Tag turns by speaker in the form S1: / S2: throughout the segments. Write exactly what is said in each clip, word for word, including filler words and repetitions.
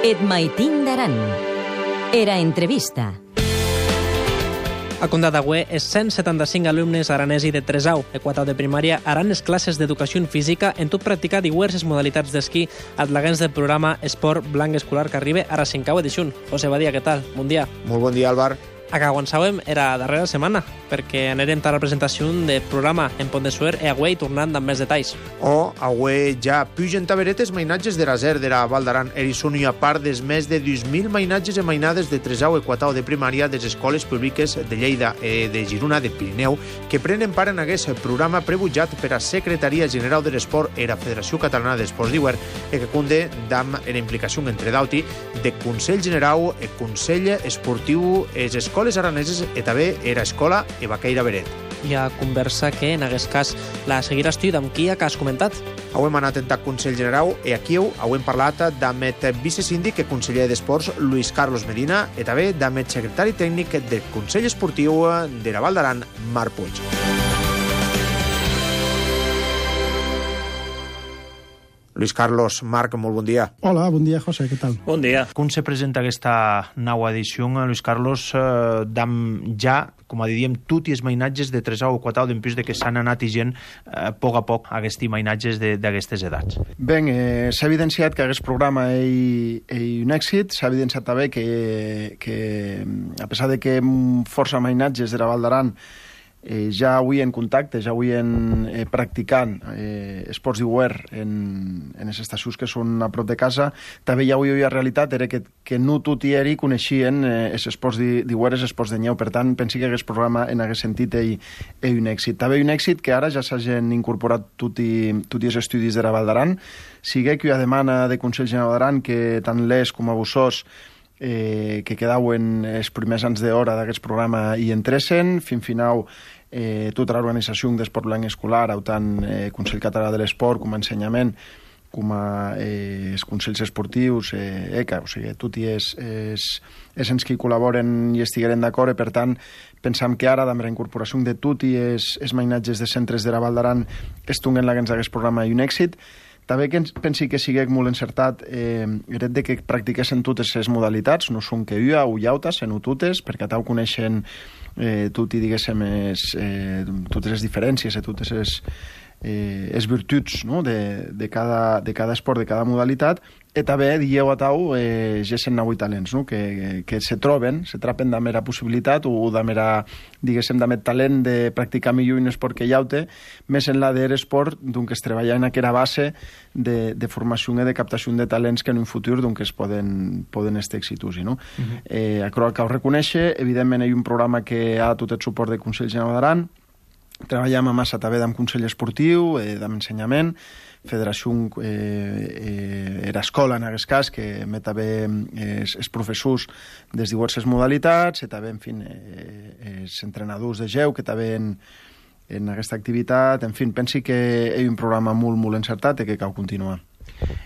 S1: Et maitin d'aran. Era entrevista.
S2: A Condà d'Agüer, els cent setanta-cinc alumnes aranesi de tresau e quatau de primària haran les classes d'educació física en tot practicar diverses modalitats d'esquí adlaguents del programa Esport Blanc Escolar que arriba a la cinquau edició. José Badia, què tal? Bon dia.
S3: Molt bon dia, Álvar.
S2: A Caguansauem era darrera setmana, perquè anirem a la presentació del programa en Pont de Suert e Agüer i tornant amb més detalls.
S3: O, Agüer ja pugen taberetes mainatges de raser de la Val d'Aran. Erison i a part des més de dos mil mainatges e mainades de tresau e quatau de primària de les escoles públiques de Lleida e de Girona de Pirineu que prenen part en aquest programa prebutjat per a Secretaria General de l'Esport e la Federació Catalana d'Esports d'Hivern e que conde d'am en implicació entre d'auti de Consell General e Consell Esportiu e les escoles araneses e també era escola e Baqueira Beret.
S2: Hi ha conversa que, en aquest cas, la seguiràs tu amb qui que has comentat?
S3: Hem anat en Consell General e aquí hem parlat amb el vicesíndic i conseller d'Esports, Luis Carlos Medina, i també amb el secretari tècnic del Consell Esportiu de la Val d'Aran, Marc Puig. Luis Carlos, Marc, molt bon dia.
S4: Hola, bon dia, José, què tal?
S5: Bon dia. Com se presenta aquesta nova edició, Luis Carlos, eh, d'am ja, com a diríem, tot i els mainatges de tresau o quatau d'empís de que s'han anat i gent eh, a poc a poc aquests mainatges d'aquestes edats?
S4: Ben, eh, s'ha evidenciat que aquest programa és un èxit, s'ha evidenciat també que, que a pesar de que força mainatges de la Val d'Aran Eh, ja avui en contacte, ja avui en eh, practicant eh, esports d'Hivern en, en les estacions que són a prop de casa, també ja avui hi ha realitat era que, que no tot i eri coneixien eh, els esports d'Hivern, els esports de neu. Per tant, pensi que aquest programa en aquest sentit és, és un èxit. També un èxit que ara ja s'hagin incorporat tot i, tot i els estudis de la Val d'Aran. Sigue que hi ha demana de Consell General d'Aran que tant l'Es com a Bussós Eh, que quedaven els primers anys d'hora d'aquest programa i entressin, fin final eh, tota l'organització d'Esport Blanc Escolar, tant eh, Consell Català de l'Esport com a ensenyament, com a eh, els consells esportius, eh, E C A, o sigui, tots els, els, els ens que hi col·laboren i estigueren d'acord, i per tant pensam que ara, amb la incorporació de tot i els, els mainatges de centres de la Val d'Aran estunguen la gens d'aquest programa i un èxit. També que pensi que sigui molt encertat eh, el fet de que practiquessin totes les modalitats, no són que ua o llauta, sinó totes, perquè tau coneixen eh, tot i diguéssim es, eh, totes les diferències i totes les, eh, les virtuts, no? de, de, cada, de cada esport, de cada modalitat, i també dieu a tau eh, gessen avui talents, no? que, que se troben, se trapen de mera possibilitat o de mera, diguéssim, de talent de practicar millor un esport que llaute, més en la d'esport, doncs es treballa en aquella base de, de formació i de captació de talents que en un futur doncs, es poden, poden estar exitosi. No? Uh-huh. eh, Acro cal reconèixer, evidentment hi ha un programa que ha tot el suport del Consell General d'Aran, treballem a massa també amb Consell Esportiu, eh, amb ensenyament, Federació eh, eh, era escola en aquest cas, que emet també eh, els professors des de diverses modalitats, i també, en fi, eh, els entrenadors de geu, que també en, en aquesta activitat, en fi, pensi que és un programa molt, molt encertat i que cal continuar.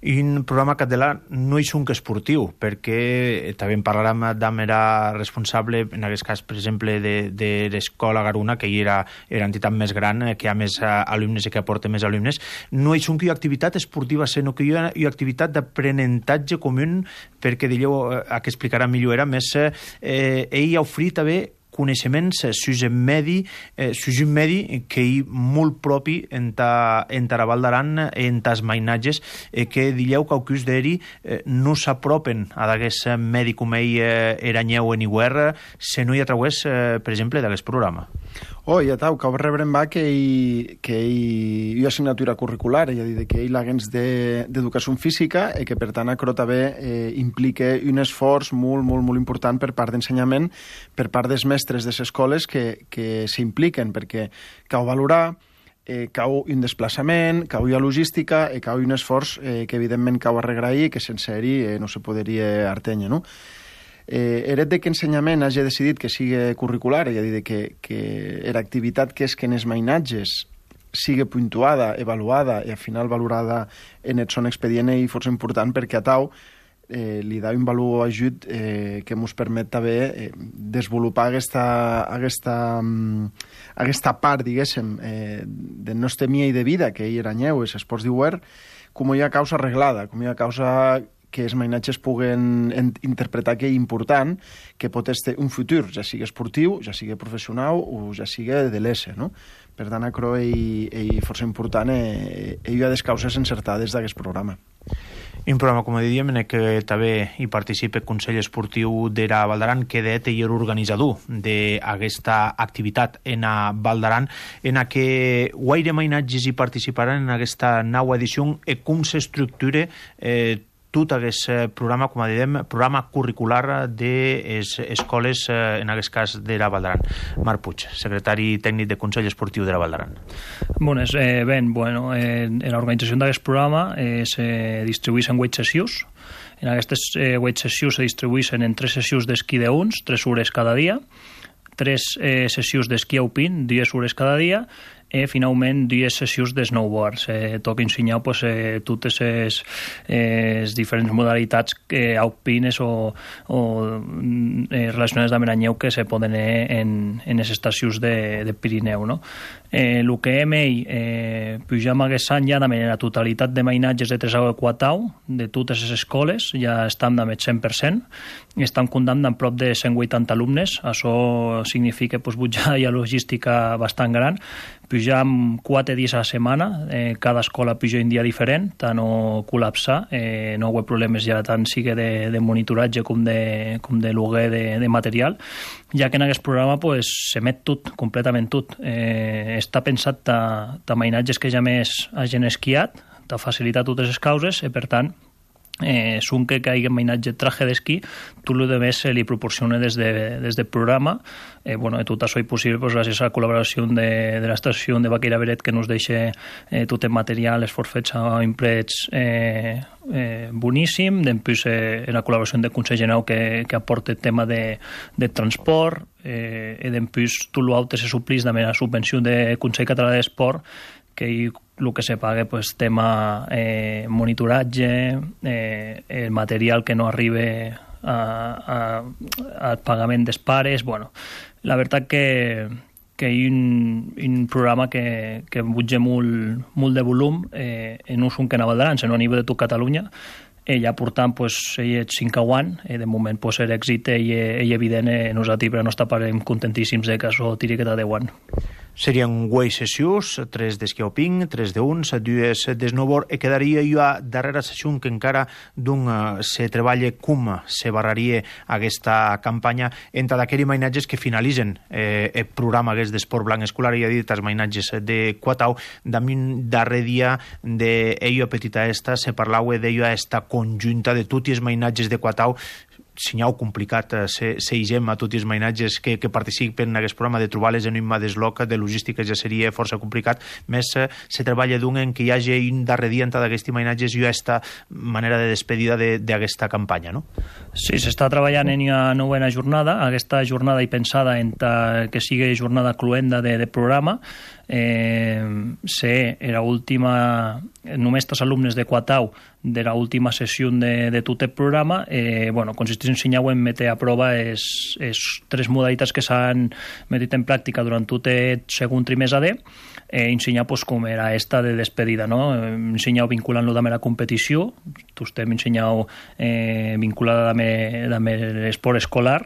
S5: I un programa català no és un que esportiu, perquè també en parlarem d'am era responsable, en aquest cas, per exemple, de, de l'escola Garuna, que hi era, era entitat més gran, que hi ha més alumnes i que aporta més alumnes. No és un que hi ha activitat esportiva, sinó que hi ha, hi ha activitat d'aprenentatge comú, perquè dieu, a què explicarà millor, era més, eh, ell ha ofrit també coneixements sus un medi, eh, sus un medi que hi molt propi en ta, en ta Val d'Aran, en tas mainatges, eh, que dieu que aucus d'eri eh, no s'apropen a d'aquest medi com ell eh, eranyeu en Hivern, se no hi ha través, eh, per exemple, d'aquest programa.
S4: Oh, ja tau, que rebrem va que hi, que hi, hi ha assignatura curricular, és a dir, que hi ha l'agents d'educació física i que, per tant, acro també eh, implica un esforç molt, molt, molt important per part d'ensenyament, per part dels mestres de les escoles que, que s'impliquen, perquè cal valorar, eh, cau un desplaçament, cau hi ha logística i cau un esforç eh, que, evidentment, cau arregrair i que sense ell eh, no se podria artenya, no? Eh, el fet de que ensenyament hagi decidit que sigui curricular, és a dir, que, que era activitat que és que en els mainatges sigui puntuada, avaluada i al final valorada en el son expedient i força important perquè a tau eh, li da un valor ajut eh, que ens permet també eh, desenvolupar aquesta, aquesta, aquesta part, diguéssim, eh, de nostra mia i de vida que hi era nyeu, els esports d'Hivern, com hi ha causa arreglada, com hi ha causa que els mainatges puguen interpretar que és important, que pot ser un futur, ja sigui esportiu, ja sigui professional o ja sigui de l'E S E, no? Per tant, acro és força important i hi ha les causes encertades d'aquest programa.
S5: Un programa, com diríem, en què també hi participa el Consell Esportiu d'Era Val d'Aran, que de és l'organitzador d'aquesta activitat en a Val d'Aran, en a què guaire mainatges hi participaran en aquesta nova edició i com s'estructura eh, tot aquest programa, com diem, programa curricular de les escoles, en aquest cas d'Era Val d'Aran. Marc Puig, secretari tècnic del Consell Esportiu d'Era Val d'Aran.
S6: Bones, eh, ben, bueno, eh, l'organització d'aquest programa eh, se distribueix en vuit sessions. En aquestes eh, vuit sessions se distribueixen en tres sessions d'esquí d'uns, tres hores cada dia, tres eh, sessions d'esquí alpin, dues hores cada dia, i finalment dues sessions de snowboard. Eh, toca ensenyar pues, eh, totes les eh, diferents modalitats eh, alpines o, o eh, relacionades amb l'anyeu que se poden eh, en, en les estacions de, de Pirineu. No? Eh, el que hem eh, pujam aquest any ja de la totalitat de mainatges de Tresau i Quatau, de totes les escoles, ja estan amb el cent per cent, i estan comptant amb prop de cent vuitanta alumnes. Això significa pues, pujar ja logística bastant gran. Pujam quatre dies a la setmana, eh, cada escola puja un dia diferent, tant no col·lapsar, eh, no hi ha problemes ja tant sigui de, de monitoratge com de, com de lloguer de, de material, ja que en aquest programa pues, s'emet tot, completament tot. Eh, està pensat ta, ta mainatges que ja més hagin esquiat, ta facilitar totes les causes, i per tant, eh, són que hi ha mainatge traje d'esquí, tot el més se li proporciona des, de, des del programa. Eh, bueno, tot això és possible pues, gràcies a la col·laboració de, de l'estació de Baqueira Beret, que ens deixa eh, tot el material, els forfets a imprets eh, eh, boníssim, després eh, la col·laboració del Consell General que, que aporta el tema de, de transport, eh, i després tot l'altre se suplís amb la subvenció del Consell Català d'Esport, que el que se paga pues, tema eh, monitoratge, eh, el material que no arriba a, a, al pagament dels pares. Bueno, la veritat que, que hi ha un, un programa que, que butja molt, molt de volum, eh, no és un que a Val d'Aran, sinó a nivell de tot Catalunya. Ella portant pues, ell és cinc anys, i de moment pues, l'èxit és evident, eh, nosaltres per nostra part contentíssims de que això tiri que de deu anys.
S5: Serien vuit sessions, tres d'esquí alpin, tres d'uns, dues de snowboard, i quedaria jo a darrera sessió que encara d'un se treballa com se barraria aquesta campanya entre d'aquells mainatges que finalitzen eh, el programa d'esport blanc escolar, i ha dit els mainatges de Quatau. Damunt darrer dia d'ello petita esta se parlava d'ello esta conjunta de tots els mainatges de Quatau. Senyau complicat eh, se, se higem a tots els mainatges que, que participen en aquest programa, de trobar-les en un desloc de logística ja seria força complicat. Més eh, se treballa d'un en què hi hagi un darrer dia entre d'aquests mainatges i aquesta manera de despedida d'aquesta de, campanya, no?
S6: Sí, s'està treballant en una novena jornada. Aquesta jornada hi pensada en que sigui jornada cluenda de, de programa. Eh, ser era última, només els alumnes de Quatau de la última sessió de, de tot el programa. Eh, bueno, consisteix en ensenyar en metre a prova les tres modalitats que s'han metit en pràctica durant tot el segon trimestre de eh, ensenyar pues, com era esta de despedida, no? Ensenyar vinculant-lo amb la competició, tu estem ensenyant eh, vinculada amb l'esport escolar.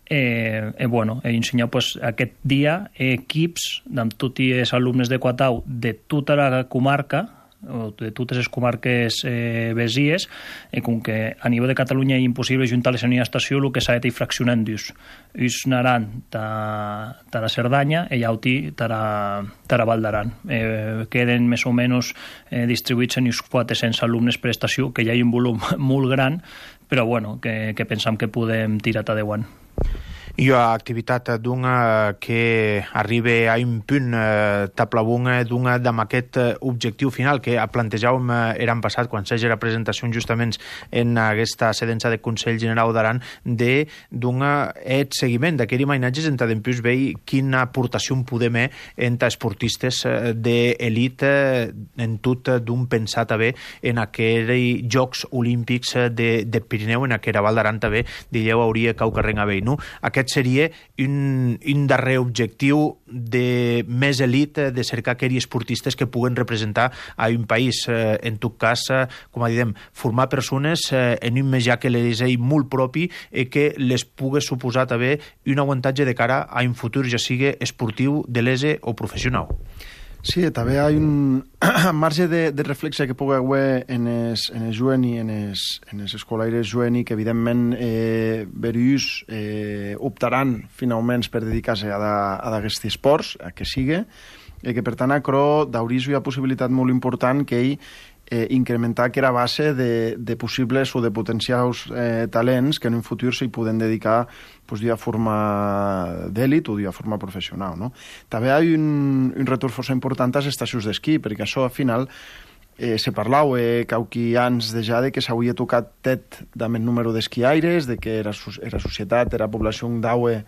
S6: Eh, eh, bueno, he ensenyat pues, aquest dia equips amb tots els alumnes de Quatau de tota la comarca, o de totes les comarques eh, besies, i com que a nivell de Catalunya és impossible juntar-les en una estació, el que s'ha de fraccionant-los. Uns anaran ta, ta la Cerdanya i l'altre ta la Val d'Aran. Eh, queden més o menys eh, distribuïts en uns quatre-cents alumnes per estació, que ja hi ha un volum molt gran, però bueno, que, que pensam que podem tirar a deu anys.
S5: I activitat d'una que arriba a un punt eh, taplabunga d'una amb aquest objectiu final que plantejàvem eh, l'any passat quan s'hagi la presentació justament en aquesta sedença de Consell General d'Aran de d'una et seguiment d'aquells mainatges entre d'empús veure quina aportació podem fer entre esportistes d'elit en tot d'un pensat també en aquells Jocs Olímpics de, de Pirineu, en aquella Val d'Aran també, dieu, hauria cau carreng a veure, no? Aquest aquest seria un, un darrer objectiu de més elit, de cercar aquells esportistes que puguen representar a un país. Eh, en tot cas, eh, com a diem, formar persones eh, en un menjar que les és molt propi i que les pugui suposar també un avantatge de cara a un futur, ja sigui esportiu, de l'ese o professional.
S4: Sí, també hi ha un marge de, de reflexe que pugui haver en els, en els jovent i en els, en els escolaires jovent que evidentment eh, verius eh, optaran finalment per dedicar-se a, a d'aquests esports, a que sigui, i que per tant a Cro d'Auris hi ha possibilitat molt important que ell eh, incrementar que era base de, de possibles o de potencials eh, talents que en un futur s'hi poden dedicar pues, d'una forma d'èlit o d'una forma professional. No? També hi ha un, un retorn força important a les estacions d'esquí, perquè això al final eh, se parlau eh, cauqui anys de ja de que s'hauria tocat tet amb el número d'esquiaires, de que era, era societat, era població d'aue,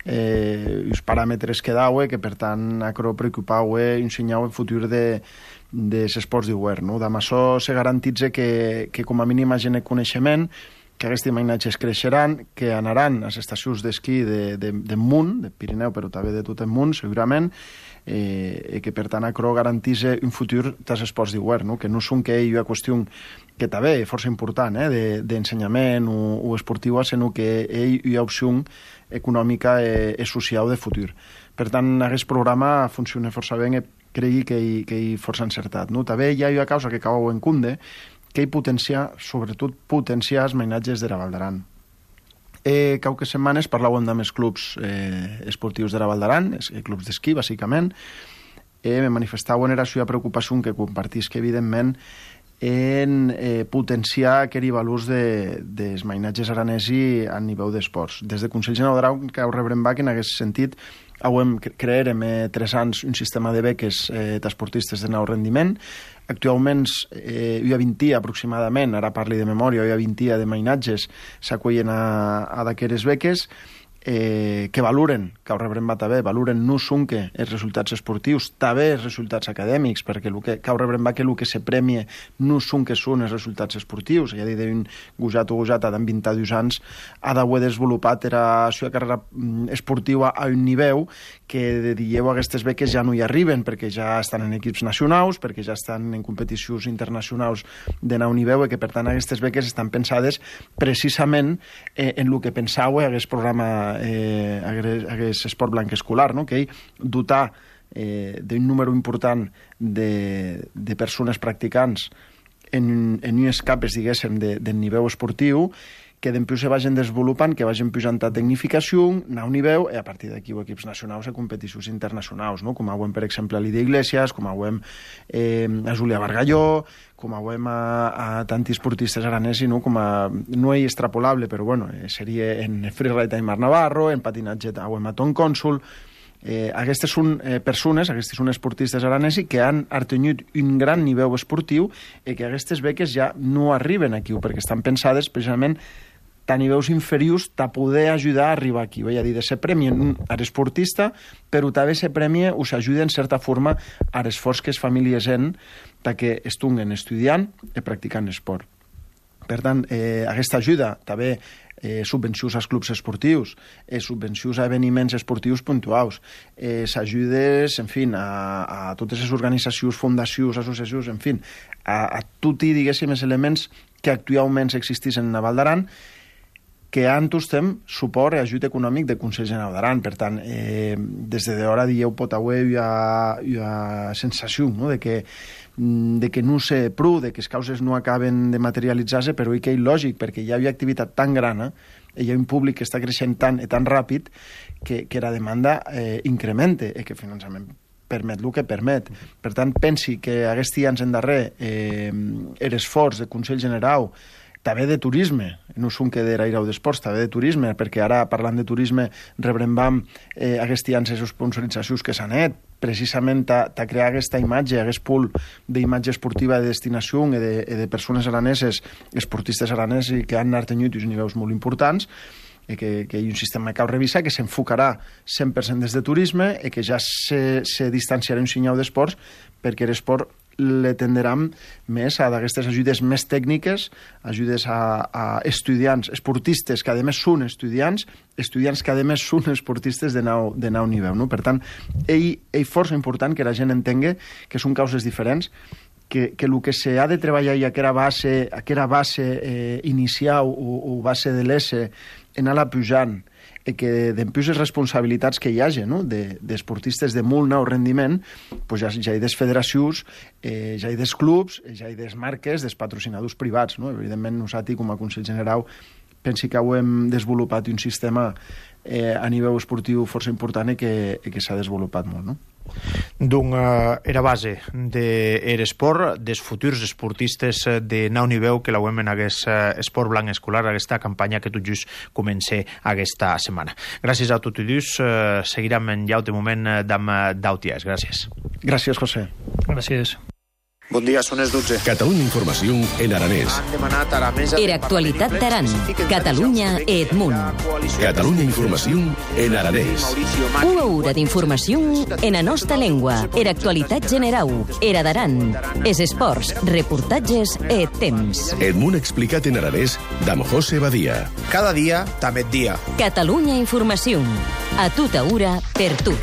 S4: eh, els paràmetres que d'aue, que per tant acro preocupau eh, ensenyau el futur de dels esports d'hivern. No? Amb això se garantitza que, que com a mínim hi hagi coneixement, que aquests imatges creixeran, que anaran a les estacions d'esquí de, de, de Munt, de Pirineu, però també de tot el món, segurament, eh, i que per tant Acro garantís un futur dels esports d'hivern, no? Que no són que hi ha qüestió que també és força important eh, d'ensenyament o, o esportiva, sinó que hi ha opció econòmica i, i social de futur. Per tant, aquest programa funciona força bé i cregui que hi, que hi força encertat. No? També hi ha una causa que cau en cunde, que hi potencia, sobretot potenciar els mainatges de la Val d'Aran. Eh, cauques setmanes parlàvem amb els clubs eh, esportius de la Val d'Aran, els clubs d'esquí, bàsicament, eh, me manifestaven era la seva preocupació que compartís que, evidentment, en eh, potenciar aquells valors de, dels mainatges aranesi a nivell d'esports. Des de Consell General d'Aran, que ho rebrem bac en aquest sentit, Auem, crearem eh, tres anys un sistema de beques eh, d'esportistes de nou rendiment. Actualment eh, hi ha vint aproximadament, ara parli de memòria, hi ha vint de mainatges s'acollen a, a d'aquestes beques eh, que valoren, que ho rebrem va també, valoren no són que els resultats esportius, també els resultats acadèmics, perquè el que, que ho rebrem va que el que se premia no són que són els resultats esportius. Ja dit d'un gosat o gosata d'en vint-i-dos anys ha d'haver desenvolupat la seva carrera esportiva a un nivell que de dieu aquestes beques ja no hi arriben, perquè ja estan en equips nacionals, perquè ja estan en competicions internacionals de nou nivell, i que per tant aquestes beques estan pensades precisament eh, en el que pensau aquest programa eh, aquest esport blanc escolar, no? Que ell dotar eh, d'un número important de, de persones practicants en, en unes capes, diguéssim, de, de nivell esportiu, que d'empiu se vagin desenvolupant, que vagin pujant a tecnificació, a un nivell, i a partir d'aquí equips nacionals a competicions internacionals, no? Com veiem, per exemple, a Lídia Iglesias, com veiem eh, a Júlia Bargalló, com veiem a, a tanti esportistes aranesi, no? Com a, no és extrapolable, però bueno, seria en freeride a Aimar Navarro, en patinatge a veiem a Tom Cònsul. Eh, aquestes són eh, persones, aquestes són esportistes aranesi que han artenyut un gran nivell esportiu i que aquestes beques ja no arriben aquí, perquè estan pensades precisament a nivells inferiors a poder ajudar a arribar aquí. És a dir, se premien a l'esportista, però també se premia o s'ajuda en certa forma a l'esforç que les famílies han que estiguin estudiant i practicant esport. Per tant, eh, aquesta ajuda també eh, subvencions als clubs esportius, eh, subvencions a esdeveniments esportius puntuals, eh, ajudes, en fi, a, a totes les organitzacions, fundacions, associacions, en fi, a, a tots, diguéssim, els elements que actualment existeixen a Val d'Aran, que han tostem suport i ajut econòmic de Consell General d'Aran. Per tant, eh, des de d'hora dieu pot haver hi ha, hi ha sensació, no?, de que de que no sé prou, de que les causes no acaben de materialitzar-se, però i que és lògic, perquè hi ha una activitat tan gran, eh, hi ha un públic que està creixent tant i tan ràpid que, que la demanda eh, incremente i que el finançament permet el que permet. Per tant, pensi que aquests anys endarrer eh, l'esforç de Consell General, també de turisme, no són que d'eraire o d'esports, també de turisme, perquè ara, parlant de turisme, rebrem eh, aquests anys les sponsoritzacions que s'han fet, precisament a, a crear aquesta imatge, aquest pool d'imatge esportiva de destinació i de, de persones araneses, esportistes araneses que han artenyut uns nivells molt importants, i que, que hi ha un sistema que cal revisar, que s'enfocarà cent per cent des de turisme i que ja se, se distanciarà un senyal d'esports perquè l'esport le tenderam més a d'aquestes ajudes més tècniques, ajudes a, a estudiants, esportistes que a més són estudiants, estudiants que a més són esportistes de nou, de nou nivell. No? Per tant, ell, ell força important que la gent entengui que són causes diferents, que, que el que s'ha de treballar i aquella base, aquella base eh, inicial o, o base de l'E en anar pujant, i que dempuix les responsabilitats que hi hagi, no? d'esportistes de, de molt nou rendiment, pues ja, ja hi ha des federacions, eh, ja hi ha des clubs, ja hi ha des marques, des patrocinadors privats. No? Evidentment, nosaltres, com a Consell General, pensi que ho hem desenvolupat un sistema eh, a nivell esportiu força important i que, i que s'ha desenvolupat molt, no?
S5: Donc, uh, era base d'Eresport, dels futurs esportistes de nou nivell que l'auem en aquest uh, esport blanc escolar, aquesta campanya que tot just comença aquesta setmana. Gràcies a tots i dos. Uh, seguirem en llaut de moment d'am d'Auties. Gràcies.
S4: Gràcies, José.
S6: Gràcies.
S3: Bon dia, són les dotze.
S7: Catalunya Informació en aranès.
S3: Han demanat a la mesa...
S1: Era actualitat d'Aran, Catalunya e Edmunt.
S7: Catalunya Informació en aranès.
S1: Una hora d'informació en la nostra llengua. Era actualitat general. Era d'Aran. Es esports, reportatges e temps.
S7: Edmunt explicat en aranès d'am José Badia.
S3: Cada dia, també dia.
S1: Catalunya Informació. A tota hora, per tu.